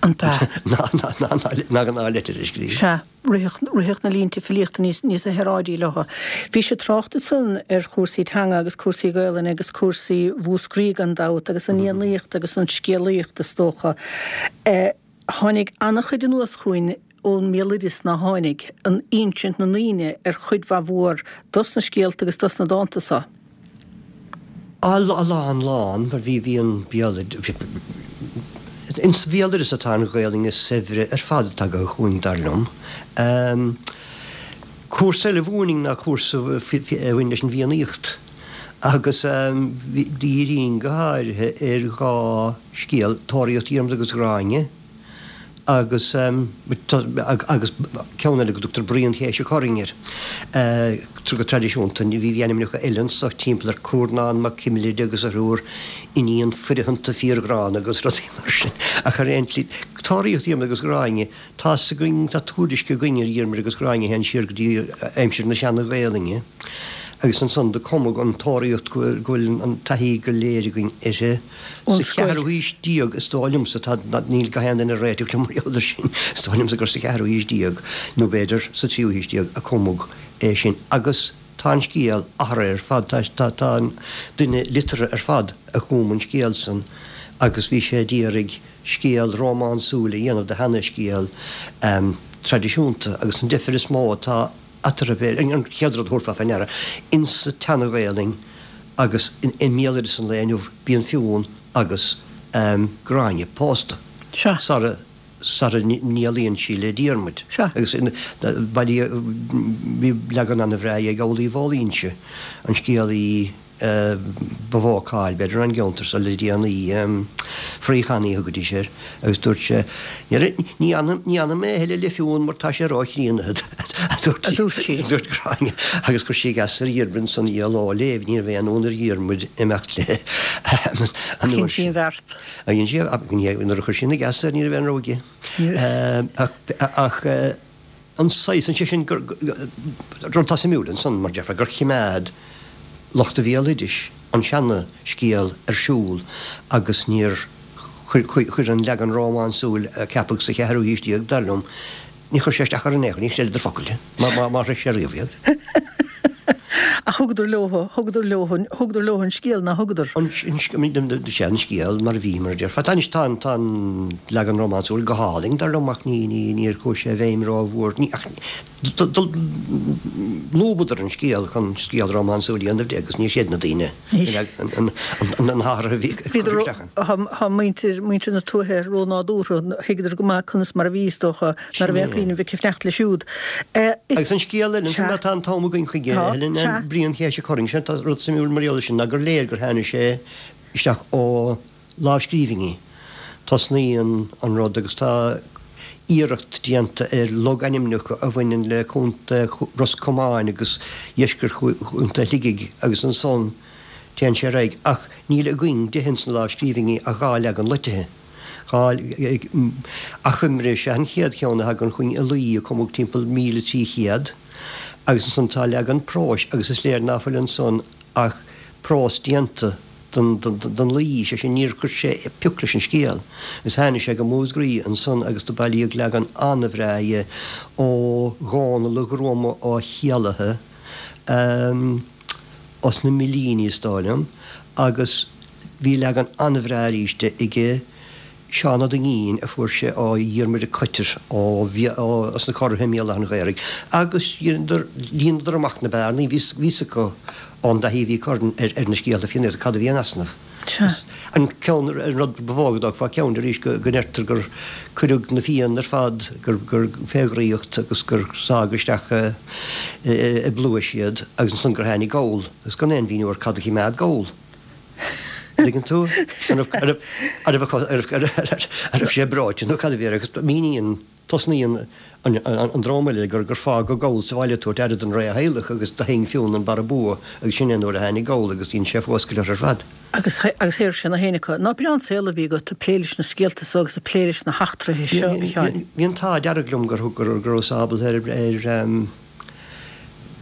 An b'ea? Ná ná ná ná ná leitir a scríobh. Sea, ritheadh ritheadh na línte filíochta níos níos saoráidí leo. Bhí sé trácht ansan ar chúrsaí teanga agus cúrsaí Gaelainne agus cúrsaí Mhúscraí gan dabht agus an Fhiannaíocht agus an scéalaíocht is dócha. Tháinig an-chuid anuas chugainn ón mbéaloideas ná tháinig, an insint na ndaoine ar chuid mhaith mhór dos na scéalta agus dos na dánta so. A lán lán, mar bhí bhí an béaloideas, ins an bhéaloideas atá an Ghaelainn is saibhre ar fad atá tagtha chugainn, dar liom. Cúrsa eile a mhúininn ná cúrsa a bhain leis an bhFiannaíocht agus dhírínn go háirithe ar dhá scéal, Tóraíocht Dhiarmada agus Ghráinne, agus agus ceann eile go dtugtar Bruíon Chéise Choraing air. Go traidisiúnta bhí bhí ainmneacha eile anso timpeall ar Cúrnán Mac Cimlid agus a thriúr iníon foirtheanta fíorghránna agus rudaí mar sin. Ach ar aon tslí, Tóraíocht Dhiarmada agus Ghráinne, tá's againn, tá tuairisc againn ar Dhiarmaid agus Gráinne a théann siar go dtí aimsir na Seana-Ghaelainne agus ansan do cumadh an Tóraíocht go bhfuil an taithí go léir againn uirthi. Ón Sa scoil. cheathrú haois déag, is dóigh liomsa, tá, níl gach aon duine ag réiteach liom mar gheall air sin, is dóigh liomsa gur sa cheathrú haois déag, nó b'fhéidir sa tríú haois déag, a cumadh é sin. Agus tá an scéal athraithe ar fad, tá, tá, tá an duine liteartha ar fad a chum an scéal san agus bhí sé d'iarraidh scéal rómánsúil a dhéanamh de sheana-scéal traidisiúnta agus an deifir is mó atá eatarthu, b'fhéidir, an chéad rud a thabharfá fé ndeara, insa tSeana-Ghaelainn agus i mbéaloideas an lae inniu, bíonn Fionn agus Gráinne pósta Sea. sara sara n-éalaíonn sí le Diarmuid. Sea. Agus bailíodh, bhí leagan an-bhreá ag Amhlaoibh Ó Loingsigh, an scéalaí ba mhó cáil, b'fhéidir, an gceantar so le déanaí, Fraoch Annaidh a thugaidís air, agus dúirt sé, Ní ní fhanfaidh mé a thuilleadh le Fionn mar tá sé róchríonna, a dúirt sí, a dúirt Gráinne, agus chuir sí geasa ar Dhiarmaid ansan í a ló léi, ní raibh aon fhonn ar Dhiarmaid imeacht léi an Dhein uair sí sin. an bheart. Dhein sí, nuair a chuir sí na geasa air ní raibh aon rogha aige. Ach an saghas, sé sin, gur, rud atá suimiúil ansan, mar déarfá, gur chimeád lucht an bhéaloidis an seana-scéal ar siúl agus níor chuir an leagan rómánsúil a ceapadh sa cheathrú haois déag, dar liom, níor chuir sé isteach orthu in aon chor, níor chreideadar focal de, má shroich sé riamh iad. Ach thugadar leo, thugadar leo, thugadar leo an scéal, ná thugadar? An sea, an scéal mar a bhí, mar a déarfá. Tá anois, tá an, tá an leagan rómánsúil go hálainn, dar liom, ach ní, ní, níor chuaigh sé i bhfeidhm rómhór, ní, ach lúbadar an scéal chun scéal rómánsúil a dhéanamh de agus níor chreid na daoine an, an, an t-athrú a bhí curtha isteach ann. Tá muintir, muintir na tuaithe rónádúrtha, thuigeadar go maith conas mar a bhí, is dócha, ná raibh aon chuimhneamh ag fanacht leis siúd. Is. Agus an scéal eile ansin, Sea. má tá an t-am againn chuige, Tá, Helen, sea. Bruíon Chéise Choraing, sin tá rud suimiúil mar gheall air sin ná gur léir gur tháinig sé isteach ó lámhscríbhinní. Tosnaíonn an rud agus tá iarracht déanta ar logainmneacha a bhaineann le Contae Ros Comáin agus dheisceart Chontae Shligigh agus ansan téann sé ar aghaidh ach níl againn de ins na lámhscríbhinní ach dhá leagan loitithe. Dhá achoimre is ea an chéad cheann a thagann chugainn i laoi a cumadh timpeall míle trí chéad agus ansan tá leagan próis agus is léir ná fuil ansan ach prós déanta den laoi, sé sin níor chuir sé pioc leis an scéal. Agus tháinig sé go Múscraí ansan agus do bailíodh leagan an-bhreá dhe ó Dhónall a' Ghruama Ó hÉallaithe, os na Millíní is dóigh liom, agus bhí leagan an-bhreá arís de aige Seán Ó Duinnín a fuair sé ó Dhiarmuid 'Ac Coitir ó os na Corraithe i mBéal Átha an Ghaorthaidh agus dheineadar, líonadar amach na bearnaí, bhí fhios acu ón dtaithí a bhí acu ar na scéalta Fiannaíochta cad a bhí in easnamh. Sea. An ceann, an rud ba mhó go dtógfá ceann de arís go ndeirtear gur cuireadh na Fianna ar fad, gur gur fé dhraíocht agus gur sádh isteach i bpluais iad agus ansan gur tháinig Goll agus gan aon mhíniú ar cad a chimeád Goll. Tuigeann tú? An raibh, an raibh, an raibh, an raibh sé breoite nó cad a bhí air agus míníonn Tosnaíonn an dráma le gur gur fágadh Goll sa bhaile ag tabhairt aire don rétheaghlach agus do sheinn Fionn an barra bua agus sin é nuair a tháinig Goll agus dhein sé fuascailt orthu ar fad. Agus agus shaor sé na haon acu. Nach breá an saol a bhí agat ag plé leis na scéalta so agus ag plé leis na heachtraithe seo, a Sheáin. Bhí an t-ádh dearg liom gur gur go rabhas ábalta ar ar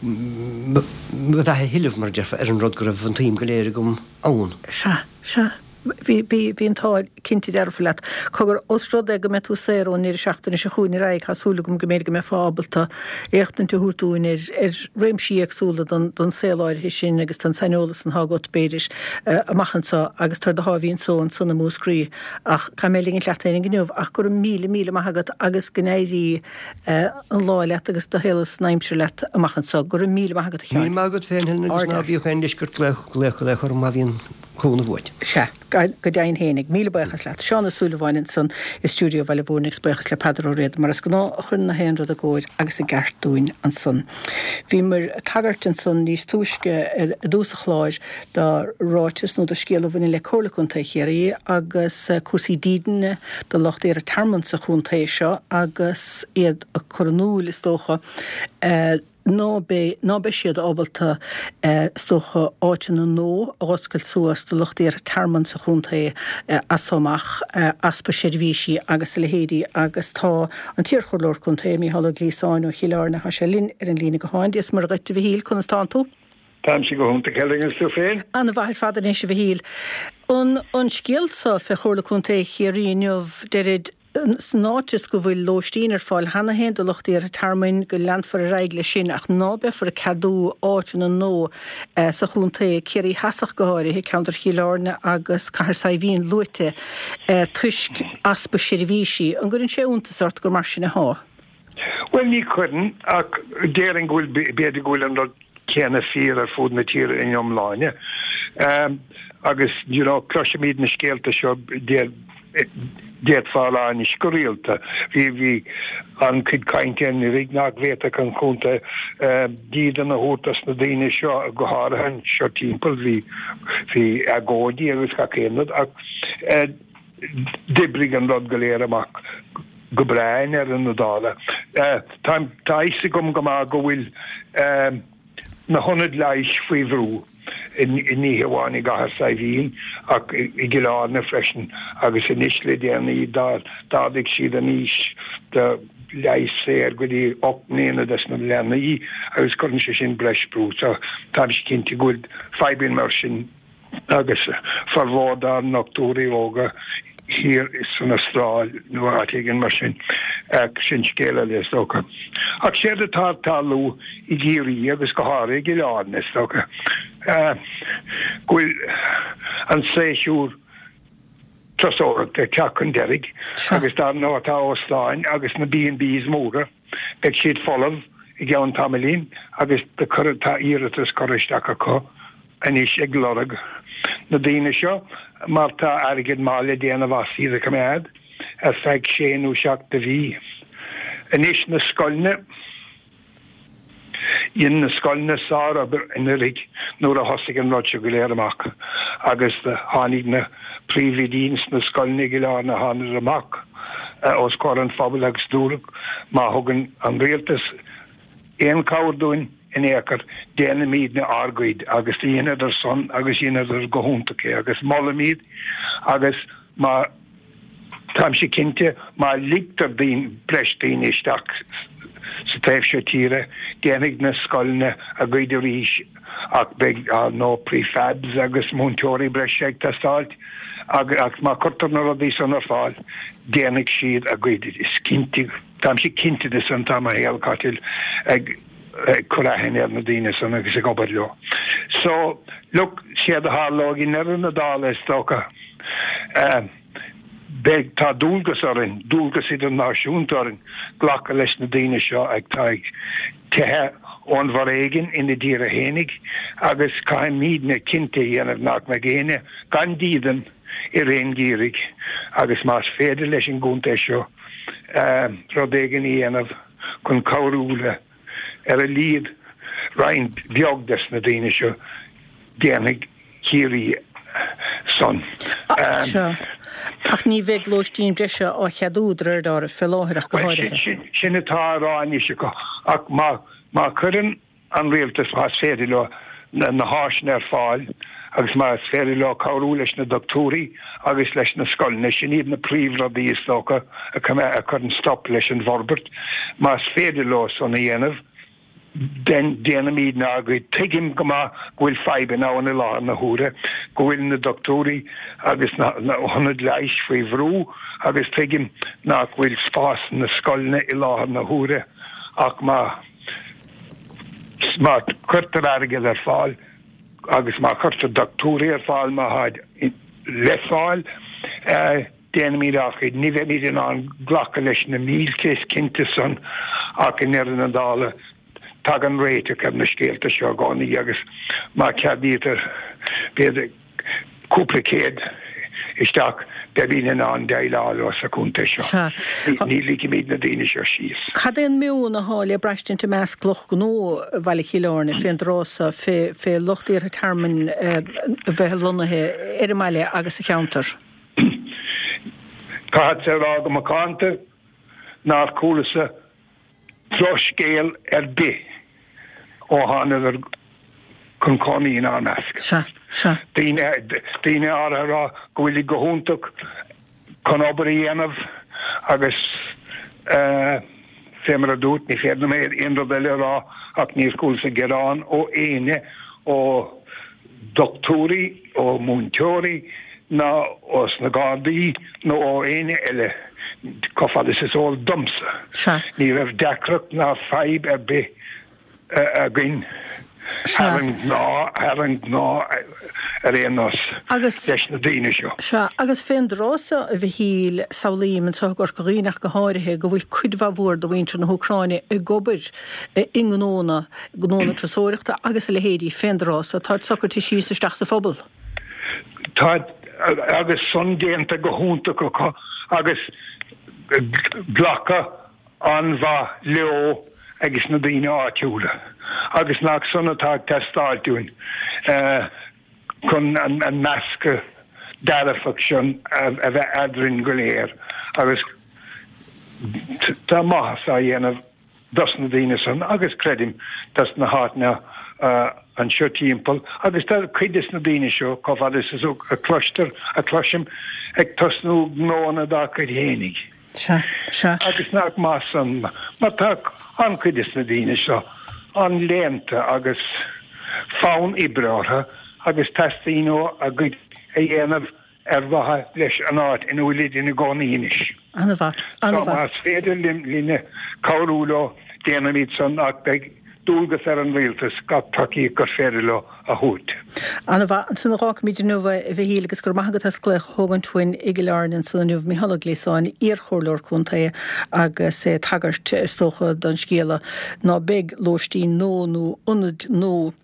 mo bheatha a thuilleamh, mar a déarfá, ar an rud go raibh an tsuim go léir agam ann. Sea, sea. Bhí, bhí, bhí an t-ádh cinnte dearfa leat. Cogar, ós rud é go mbeidh tú saor ón ndeireadh seachtaine seo chugainn ar aghaidh, tá súil agam go mb'fhéidir go mbeifeá ábalta éachtaint a thabhairt dúinn ar, ar réimsí éagsúla den, den saol áirithe sin agus den saineolas atá agat, b'fhéidir, amach anseo agus tar do sháimhín só ansan i Múscraí. Ach caithfidh mé ligint leat féinig inniu ach go raibh míle, míle maith agat agus go n-éirí an lá leat agus do shaol is an aimsir leat amach anseo. Go raibh míle maith agat, a Sheáin. Míle maith agat féin, Helen, agus ná bíodh aon leisce ort glaoch, glaoch, glaoch orm má bhíonn cúnamh uait. Sea, go deimhin fhéinig. Míle buíochas leat. Seán Ó Súilleabháin ansan i stiúideo Bhaile Mhúirne agus buíochas le Peadar Ó Riada mar is gnáth a chuireann na haon rud i gcóir agus i gceart dúinn ansan. Bhíomar ag tagairt ansan níos túisce i dtús an chláir do ráiteas nó do scéal a bhaineann le Comhairle Contae Chiarraí agus cúrsaí dídine do lucht iarrtha tearmainn sa chontae seo agus iad ag cur in iúl, is dócha, ná beidh, ná beidh siad ábalta, is dócha, áiteanna nua a dh'oscailt suas do lucht iarrtha tearmainn sa chontae as so amach, easpa seirbhísí agus a leithéidí agus tá an t-iarchomhairleoir contae, Mícheál Ó Gliasáin ó Chill Airne, tá sé linn ar an líne gutháin. Dia is Muire dhuit, a Mhichíl, conas tánn tú? Táimse go hiontach, Helen, agus tú féin? Ana-mhaith ar fad anois, a Mhichíl. An, an scéal so fé Chomhairle Contae Chiarraí inniu, deirid, san áit is go bhfuil lóistín ar fáil cheana féin do lucht iarrtha tearmainn, go leanfar ar aghaidh leis sin ach ná beifear ag ceadú áiteanna nua sa chontae, Ciarraí Theas ach go háirithe, ceantar Chill Airne agus Cathair Saidhbhín luaite, toisc easpa seirbhísí. An gcuireann sé iontas ort gur mar sin athá? Bhuel, ní chuireann, ach déarfainn go bhfuil, b'fhéidir go bhfuil an rud céanna fíor ar fud na tíre ina iomláine. Agus, you know, cloisimid na scéalta seo, d'fhéadfá a rá anois go rialta. Bhí, bhí an-chuid cainte anuraidh nach bhféadfadh an contae dídean a thabhairt dos na daoine seo, go háirithe anseo timpeall, bhí, bhí agóidí agus gach aon rud ach d'oibrigh an rud go léir amach go breá i ndeireadh na dála. Tá, tá a fhios agam go maith go bhfuil na hionaid leighis faoi bhrú, ní hamháin i gCathair Saidhbhín ach i gCill Airne freisin agus anois le déanaí d'ardaigh siad an aois do leigheas saor go dtí ocht mbliana dos na leanaí agus cuireann sé sin breis brú. So táimse cinnte go bhfuil fadhbanna mar sin agus formhór dár ndochtúirí óga thiar san Astráil nó áit éigin mar sin, ach sin scéal eile is dócha. Ach séard atá ag tarlú i gCiarraí agus go háirithe i gCill Airne is dócha, go bhfuil an séasúr turasóireachta ag teacht chun deiridh agus dar ndóigh tá óstáin agus na B and Bs móra, beidh siad folamh i gceann tamaillín agus tá iarratas curtha isteach acu anois ag lorg na daoine seo mar tá airgead maith le déanamh as iad a choimeád ar feadh sé nó seacht de mhí. Anois na scoileanna, dhein na scoileanna sárobair anuraidh nuair a thosaigh an rud seo go léir amach agus tháinig na príomhoidí ins na scoileanna i gCill Airne, thánadar amach os comhair an phobail agus dúradh má thugann an rialtas aon chabhair dúinn in aon chor, déanfaimídne ár gcuid agus do dheineadar san agus dheineadar go hiontach é agus molaim iad agus má, táimse cinnte, má ligtear daoine, breis daoine isteach sa taobh seo tíre, déanfaidh na scoileanna a gcuid arís ach beidh, ar ndóigh, prefabs agus múinteoirí breise ag teastáilt ach má cuirtear na rudaí san ar fáil, déanfaidh siad a gcuid, is cinnte. Táimse cinnte de san, tá mo shaol caite ag cur aithne ar na daoine san agus ag obair leo. So, look, séard a tharlóidh i ndeireadh na dála is dócha, beidh, tá dualgas orainn, dualgas idirnáisiúnta orainn glacadh leis na daoine seo atá ag teitheadh ón bhforéigean ina dtíortha fhéinig agus caithfimídne cinnte a dhéanamh nach mbeidh éinne gan dídean i rith an gheimhridh agus más féidir leis an gcontae seo rud éigin a dhéanamh chun cabhrú le, ar a laghad, roinnt bheag des na daoine seo, déanfaidh Ciarraí san. Sea. Ach ní bheidh lóistín breise á cheadú de réir dealraimh fé láthair ach go háirithe. Sin atá á rá anois acu ach má má chuireann an rialtas, más féidir leo, na háiseanna ar fáil agus más féidir leo cabhrú leis na dochtúirí agus leis na scoileanna, sin iad na príomhrudaí is dócha a chuireann stop leis an bhforbairt, más féidir leo san a dhéanamh, then déanfaimid ár gcuid. Tuigim go maith go bhfuil fadhbanna ann i láthair na huaire, go bhfuil na dochtúirí agus na hionaid leighis faoi bhrú agus tuigim nach bhfuil spás sna scoileanna i láthair na huaire ach má má chuirtear airgead ar fáil agus má chuirtear dochtúirí ar fáil má tháid le fáil, déanfaimid ár gcuid. Ní bheimid in ann glacadh leis na mílte, is cinnte san, ach i ndeireadh na dála tagann réiteach ar na scéalta seo i gcónaí agus má cheadaítear b'fhéidir cúpla céad isteach, beimid in ann déileáil leo sa chontae seo. Ní ligfimid na daoine seo síos. Cad é an meon atá le braistint i measc lucht gnó Bhaile Chill Airne fén dtráth so, fé lucht iarrtha tearmainn a bheith lonnaithe ar an mbaile agus sa cheantar? Caithfeadsa a rá go macánta nár chualasa drochscéal ar bith ó thánadar chun cónaí inár measc. Sea, sea. Daoine, daoine áirithe a rá go bhfuilid go hiontach chun obair a dhéanamh agus eh, fé mar a dúirt, ní féidir liom aon rud eile a rá ach níor chualasa gearán ó éinne, ó dhochtúirí, ó mhúinteoirí ná ós na Gardaí nó ó éinne eile chomh fada is is eol domsa. Sea. Ní raibh deacracht ná fadhb ar bith againn thar an ngnáth, thar an ngnáth ar aon nós, Agus. leis na daoine seo. Sea, agus fén dtráth so, a Mhichíl, samhlaím, anseo i gCorca Dhuibhne ach go háirithe, go bhfuil cuid mhaith mhór de mhuintir na hÚcráine ag obair i ngnónna, gnónna turasóireachta agus a leithéidí fén dtráth so, táid socraithe síos isteach sa phobal. Tá, agus san déanta go hiontach acu agus glacadh an-mhaith leo agus na daoine áitiúla agus nach san atá ag teastáilt uainn chun an meascadh dearfach sin a bheith eadrainn go léir agus tá maitheas á dhéanamh dos na daoine san agus creidim dos na háiteanna anseo timpeall agus tá cuid des na daoine seo, chomh fada is a cloistear, a chloisim, ag tosnú gnóanna dá gcuid fhéinig. Sea, sea. Agus nach maith san, mar tá an-chuid des na daoine seo an-léannta agus fonn oibre orthu agus teastaíonn uathu a gcuid a dhéanamh ar mhaithe leis an áit ina bhfuilid ina gcónaí anois. An-mhaith, an-mhaith. So más féidir linne cabhrú leo, déanfaimid san ach beidh dualgas ar an Rialtas gach tacaíocht gur féidir leo a thabhairt. An-mhaith. Ansan a dh'fhágfaimid inniu é, a Mhichíl, agus go raibh maith agat as glaoch a thógaint uainn i gCill Airne ansan inniu. Micheál Ó Gliasáin, iar-chomhairleoir contae agus é ag tagairt, is dócha, don scéala ná beidh lóistín nua nó ionaid nua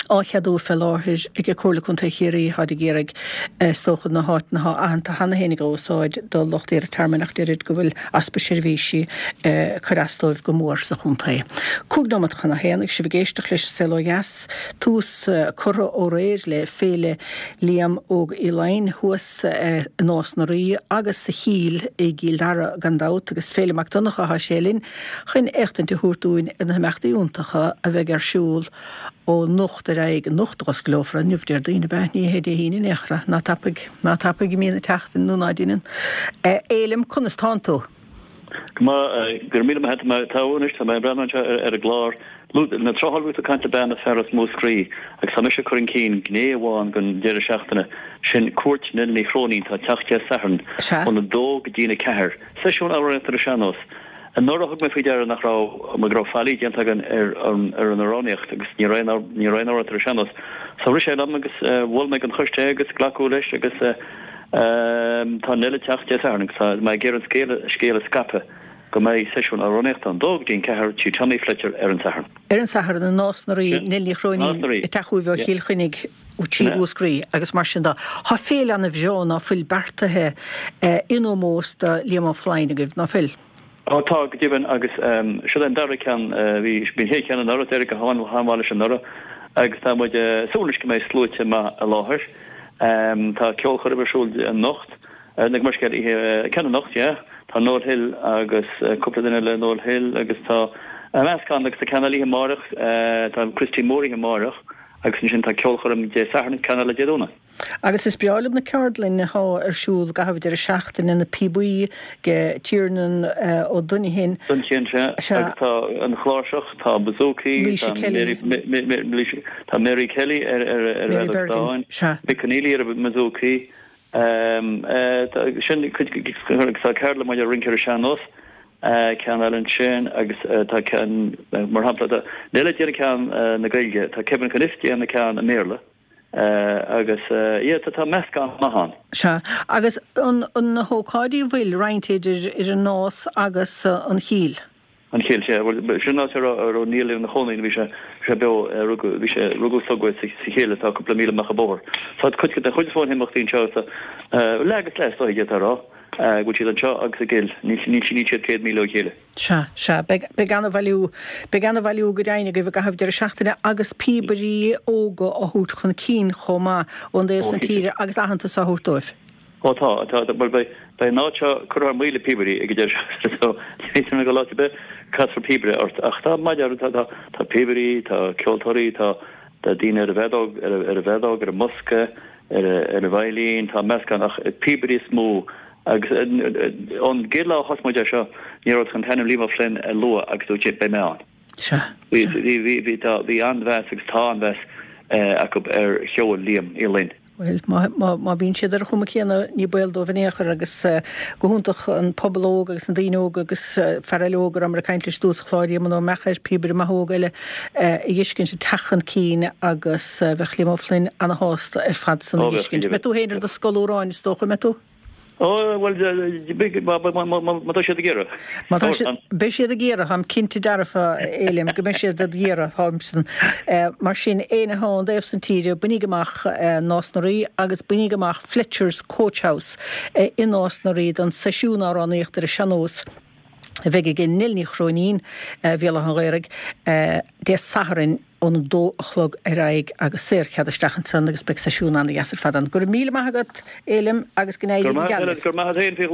á cheadú fé láthair ag Comhairle Contae Chiarraí, táid ag iarraidh, is dócha, na háiteanna atá aitheanta cheana féin a úsáid do lucht iarrtha tearmainn ach deirid go bhfuil easpa seirbhísí ag cur as dóibh go mór sa chontae. Cúig nóimeat chun a haon agus sibh ag éisteacht leis An Saol Ó Dheas. Tús curtha ó aréir le Féile Liam Óg Uí Fhloinn thuas i Nás na Rí agus sa Chill i gCill Dara gan dabht agus Féilim Mac Donncha atá sé linn chun éachtaint a thabhairt dúinn ar na himeachtaí iontacha a bheidh ar siúl ó anocht ar aghaidh, anocht a dh'osclófar, inniu Déardaoin ab ea? Ní hé Dé hAoine in aon chor, ná tapaidh, ná tapaidh i mbíonn ag teacht nó ná deineann. A Fhéilim, conas tánn tú? Go maith, go raibh míle maith agat, tá mé togha anois, tá mé ag breathnú anseo ar an gclár. Na trátháil bhí tú ag caint le bean as fear as Múscraí agus tá mise ag cur chun cinn gné amháin den deireadh seachtaine, sin cuairt Nell Ní Chróinín, atá ag teacht Dé Sathairn ón a dó go dtí'n a ceathair. Seisiún amhránaíochta ar an sean-nós. Anuraidh thug mé faoi deara nach raibh, go raibh faillí déanta againn ar an ar an amhránaíocht agus ní raibh aon ní raibh aon amhránaíocht ar an sean-nós. So rith sé liom agus mhol mé don choiste é agus glacadh leis agus tá Nell ag teacht Dé Sathairn agus tá mé ag iarraidh an scéal scéal a scaipeadh go mbeidh seisiún amhránaíochta ón dó go dtí an ceathair Tigh Tommy Fletcher ar an Satharn. Ar an Satharn i Nás na Rí, Nell Ní Chróinín ag teacht chugaibh ó Chill Chainnigh trí Mhúscraí agus mar sin de. Tá féile ana bhreá ná fuil beartaithe in ómós do Liam Ó Floinn agaibh, ná fuil? Ó tá, go deimhin, agus seo é an dara ceann, bhí an chéad cheann anuraidh, d'éirigh go han-mhaith leis anuraidh agus tá muid ag súil anois go mbeidh sluaite maith i láthair. Tá ceolchoirm ar siúl anocht Gabh mo leithscéal oíche ceann anocht, yeah. Tá Noel Hill agus cúpla duine le Noel Hill agus tá meascán agus tá ceann eile oíche amárach, tá Christy Moore oíche amárach agus ansin tá ceolchoirm Dé Sathairn, ceann eile Dé Domhnaigh. Agus is breá liom na ceardlainn atá ar siúl i gcaitheamh deireadh seachtaine, na píobaí ag Tiernan Ó Duinnshléibhe. Duinnshléibhe, sea. Sea. Agus tá an chláirseach, tá bouzouki, Laoise tá Kelly. Mary, tá Mary Kelly ar ar ar Mary fheadóg Bergin, stáin, sea. Mick Conneely ar an mbouzouki. Sin cuid agus tá ceardlann maidir le rince ar an sean-nós, ceann eile ansin agus tá ceann, mar shampla, tá Nell ag déanamh ceann na Gaeilge, tá Kevin Cunniffe ag déanamh ceann i mBéarla agus yeah, tá meascán maith ann. Sea, agus an na hócáidí a bhfuil roinnte idir idir an Nás agus an Chill? An Chill, sea. Bhuel, sin an áit a raibh, a raibh Niall ina chónaí nuair a bhí sé, bhí sé beo, rugadh, bhí sé, rugadh is tógadh é sa Chill atá cúpla míle amach an bóthar. So tá cuid, den chuid is mó de na himeachtaí anseo, so, leath agus leath is dóigh, d'fhéadfá a rá, go bhfuil siad anseo agus i gCill, níl, níl, níl siad céad míle ó chéile. Sea, sea, beidh, beidh ana-bhailiú, beidh ana-bhailiú go deimhin agaibh i gcaitheamh deireadh seachtaine agus píobairí óga á thabhairt chun cinn chomh maith ón dtaobh Ó, san cinnte. tíre agus aitheantas á thabhairt dóibh. Ó tá, tá, bhuel beidh, beidh an áit seo curtha thar maoil le píobairí ag an deireadh seachtaine so ní féidir liom dul áit ar bith, casfar píobaire ort ach tá maide, tá, tá, tá píobairí, tá ceoltóirí, tá, tá daoine ar an bhfeadóg, ar, ar an bhfeadóg, ar an mbosca, ar, ar an veidhlín, tá meascán ach píobairí is mó agus ón gcéad lá a thosaigh muid air seo ní raibh ach an t-ainm Liam O'Flynn a lua agus dúirt sé beidh mé ann. Sea, Bhí, sea. bhí, bhí, bhí, tá, bhí an-mheas agus tá an-mheas acu ar cheol Liam Uí Fhloinn. Bhuel, má bhíonn siad ar an chuma chéanna, ní baol dóibh in aon chor agus go hiontach an pobal óg agus na daoine óga agus fear eile óg a rabhamar ag caint leis i dtús an chláir, Éamonn Ó Meachair, píobaire maith óg eile, a dh'fheiscint ag teacht chun cinn agus bheadh Liam O'Flynn ana-shásta ar fad san a Ó, bheadh, dh'fheiscint. Mbeidh tú féin ar do scolúráin is dócha, an mbeidh tú? Ó, bhuel, má tá siad ag iarraidh. Má tá siad, beidh siad ag iarraidh, táim cinnte dearfa, a Fhéilim, go mbeidh siad ag iarraidh, táimsan. Mar sin, éinne atá ón dtaobh san tíre, bainíg amach Nás na Rí agus bainíg amach Fletcher's Coach House i Nás na Rí don seisiún amhránaíochta ar an sean-nós a bheidh ag Nell Ní Chróinín, Bhéal Átha an Ghaorthaidh, Dé Sathairn. ón a dó a chlog ar aghaidh agus saorchead isteach ansan agus beidh seisiún ana-dheas ar fad ann. Go raibh míle maith agat, Fhéilim, agus go n-éirí Go go geal raibh libh. maith agat féin faoi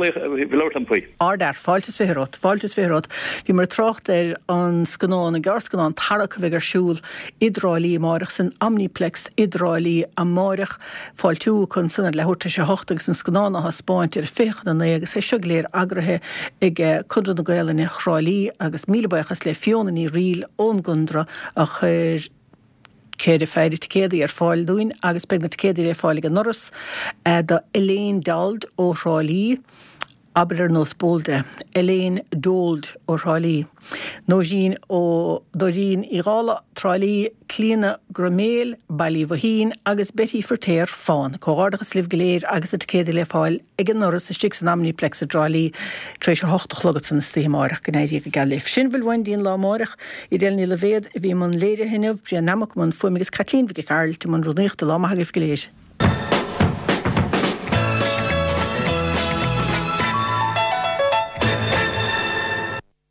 labhairt liom faoi. Ardfhear, fáilte is fiche romhat, fáilte is fiche romhat. Bhíomar ag trácht ar an scannán, an gearrscannán Tarrac a bheidh ar siúl i dTrá Lí amáireach san Omniplex i dTrá Lí amáireach. Fáiltiú acu ansan ar leathuair tar éis a hocht agus an scannán á thaispeáint ar a fiche chun a naoi agus é seo go léir eagraithe ag Conradh na Gaelainne Thrá Lí agus míle buíochas le Fiona Ní Fhrighil ón gConradh a chuir ceithre phéire ticéadaí ar fáil dúinn agus beidh na ticéadaí le fáil ag an ndoras do Elaine Dold ó Thrá Lí, abair ar nós Bolde, Elaine Dold ó Thrá Lí, Nóirín ó Dóirín Uí Dhálaigh, Trá Lí, Clíona Groiméil, Baile Uí Bhoithín agus Betty Firtéar, Fán. Comhghairdeachas libh go léir agus na ticéadaí le fáil ag an ndoras istigh san Omniplex i dTrá Lí tar éis a hocht a chlog ansan istoíche amáireach. Go n-éirí go geal libh. Sin a bhfuil uainn dtí'n lá amáireach. Edel Ní Loibhéad a bhí i mbun léirithe inniu, Brian Nammock i mbun fuaime agus Caitlín Mhic Gearailt i mbun rúnaíochta. Lá maith agaibh go léir.